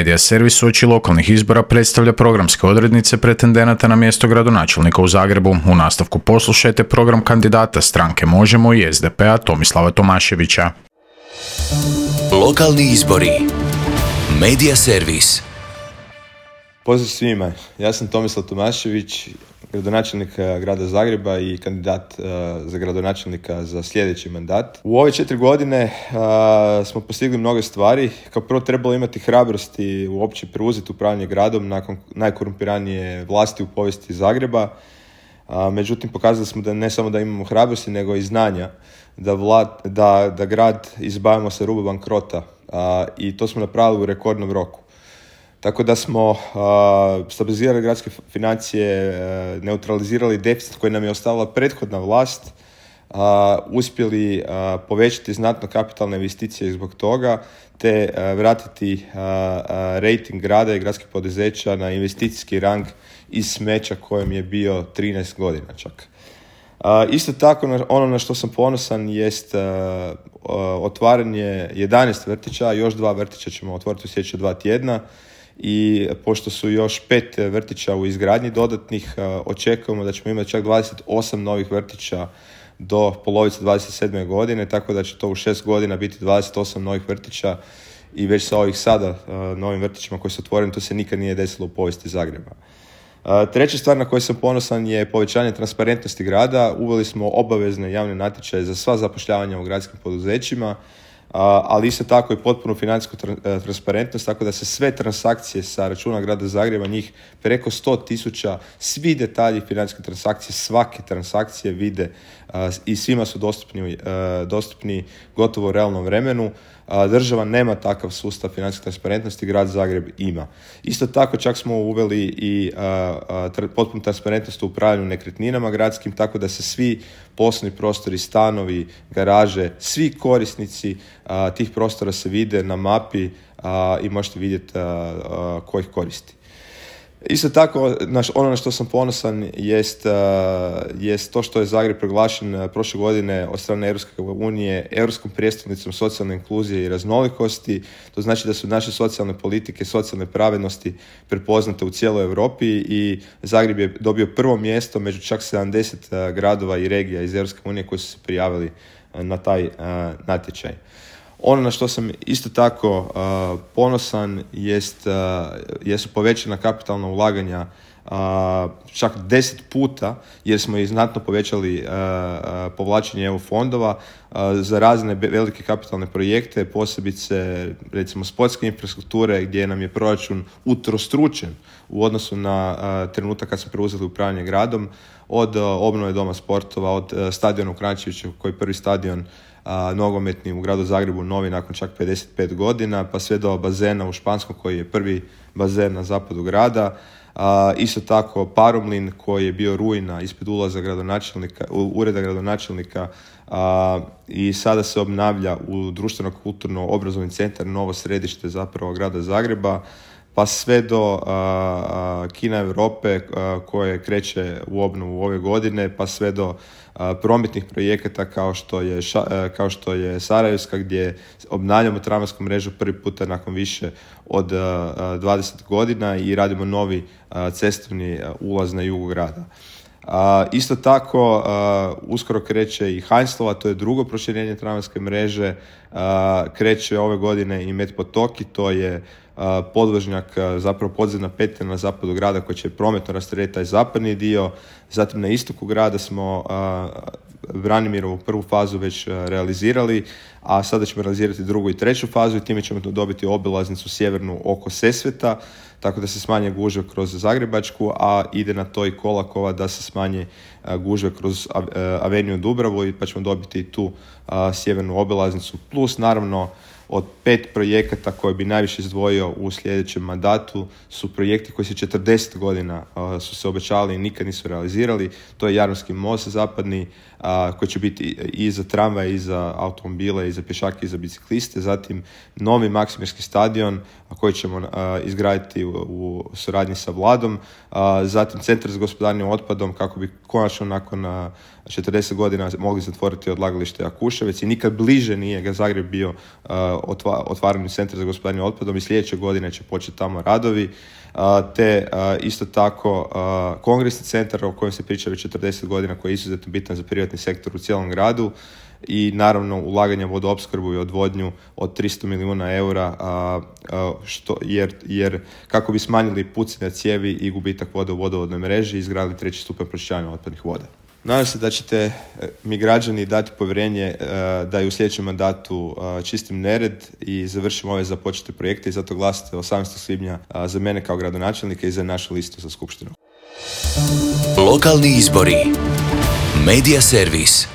Medija servis uoči lokalnih izbora predstavlja programske odrednice pretendenata na mjesto gradonačelnika u Zagrebu. U nastavku poslušajte program kandidata stranke Možemo i SDP-a Tomislava Tomaševića. Lokalni izbori. Medija servis. Pozdrav svima, ja sam Tomislav Tomašević, gradonačelnik grada Zagreba i kandidat za gradonačelnika za sljedeći mandat. U ove 4 godine smo postigli mnoge stvari. Kao prvo, trebalo imati hrabrosti uopće preuzeti upravljanje gradom nakon najkorumpiranije vlasti u povijesti Zagreba. Međutim, pokazali smo da ne samo da imamo hrabrosti, nego i znanja da grad izbavimo sa ruba bankrota, i to smo napravili u rekordnom roku. Tako da smo stabilizirali gradske financije, neutralizirali deficit koji nam je ostavila prethodna vlast, uspjeli povećati znatno kapitalne investicije zbog toga, te vratiti rejting grada i gradskih poduzeća na investicijski rang iz smeća kojem je bio 13 godina čak. Isto tako, ono na što sam ponosan jest otvaranje 11 vrtića, još 2 vrtića ćemo otvoriti u sljedeća 2 tjedna. I pošto su još 5 vrtića u izgradnji dodatnih, očekujemo da ćemo imati čak 28 novih vrtića do polovice 27. godine, tako da će to u 6 godina biti 28 novih vrtića i već sa ovih sada novim vrtićima koji su otvoreni, to se nikad nije desilo u povijesti Zagreba. Treća stvar na koju sam ponosan je povećanje transparentnosti grada. Uveli smo obavezne javne natječaje za sva zapošljavanja u gradskim poduzećima, ali isto tako i potpunu financijsku transparentnost, tako da se sve transakcije sa računa grada Zagreba, njih preko 100.000, svi detalji financijske transakcije, svake transakcije vide i svima su dostupni gotovo u realnom vremenu. Država nema takav sustav financijske transparentnosti, grad Zagreb ima. Isto tako čak smo uveli i potpunu transparentnost u upravljanju nekretninama gradskim, tako da se svi poslovni prostori, stanovi, garaže, svi korisnici tih prostora se vide na mapi i možete vidjeti ko ih koristi. Isto tako, ono na što sam ponosan jest to što je Zagreb proglašen prošle godine od strane Europske unije Europskom prijestolnicom socijalne inkluzije i raznolikosti. To znači da su naše socijalne politike, socijalne pravednosti prepoznate u cijeloj Europi i Zagreb je dobio prvo mjesto među čak 70 gradova i regija iz Europske unije koji su se prijavili na taj natječaj. Ono na što sam isto tako ponosan jesu povećana kapitalna ulaganja čak 10 puta, jer smo i znatno povećali povlačenje EU fondova za razne velike kapitalne projekte, posebice recimo sportske infrastrukture, gdje nam je proračun utrostručen u odnosu na trenutak kad smo preuzeli upravljanje gradom, od obnove doma sportova, od stadiona u Kranjčeviću, koji je prvi stadion nogometni u gradu Zagrebu, novi nakon čak 55 godina, pa sve do bazena u Španskom koji je prvi bazen na zapadu grada. Isto tako Paromlin koji je bio ruina ispred ulaza ureda gradonačelnika, i sada se obnavlja u društveno-kulturno-obrazovni centar, novo središte zapravo grada Zagreba, pa sve do Kina Europe koje kreće u obnovu ove godine, pa sve do prometnih projekata kao što je Sarajevska, gdje obnavljamo tramvajsku mrežu prvi puta nakon više od 20 godina i radimo novi cestovni ulaz na jugu grada. Isto tako, uskoro kreće i Heinzlova, to je drugo proširenje tramvajske mreže, kreće ove godine i Met Potoki, to je podvožnjak, zapravo podzemna petlja na zapadu grada koji će prometno rasteretiti taj zapadni dio. Zatim na istoku grada smo Branimirovu prvu fazu već realizirali, a sada ćemo realizirati drugu i treću fazu i time ćemo dobiti obilaznicu sjevernu oko Sesveta, tako da se smanje gužve kroz Zagrebačku, a ide na to i Kolakova da se smanje gužve kroz Aveniju Dubravu, pa ćemo dobiti i tu sjevernu obilaznicu. Plus naravno od 5 projekata koje bi najviše izdvojio u sljedećem mandatu su projekti koji se 40 godina su se obećali i nikad nisu realizirali. To je Jadranski most zapadni, koji će biti i za tramvaje, i za automobile, i za pješake, i za bicikliste. Zatim novi Maksimirski stadion koji ćemo izgraditi u suradnji sa Vladom. Zatim centar za gospodarenje otpadom kako bi konačno nakon 40 godina mogli zatvoriti odlagalište Jakuševec i nikad bliže nije ga Zagreb bio otvaranju centra za gospodarenje otpadom i sljedeće godine će početi tamo radovi, te isto tako kongresni centar o kojem se priča već 40 godina, koji je izuzetno bitan za privatni sektor u cijelom gradu, i naravno ulaganje u vodoopskrbu i odvodnju od 300 milijuna eura, jer kako bi smanjili pucanje cijevi i gubitak vode u vodovodnoj mreži i izgradili 3. stupanj pročišćavanja otpadnih voda. Nadam se da ćete mi građani dati povjerenje da i u sljedećem mandatu čistim nered i završimo ove započete projekte, i zato glasite 18. svibnja za mene kao gradonačelnika i za našu listu za skupštinu. Lokalni izbori. Media servis.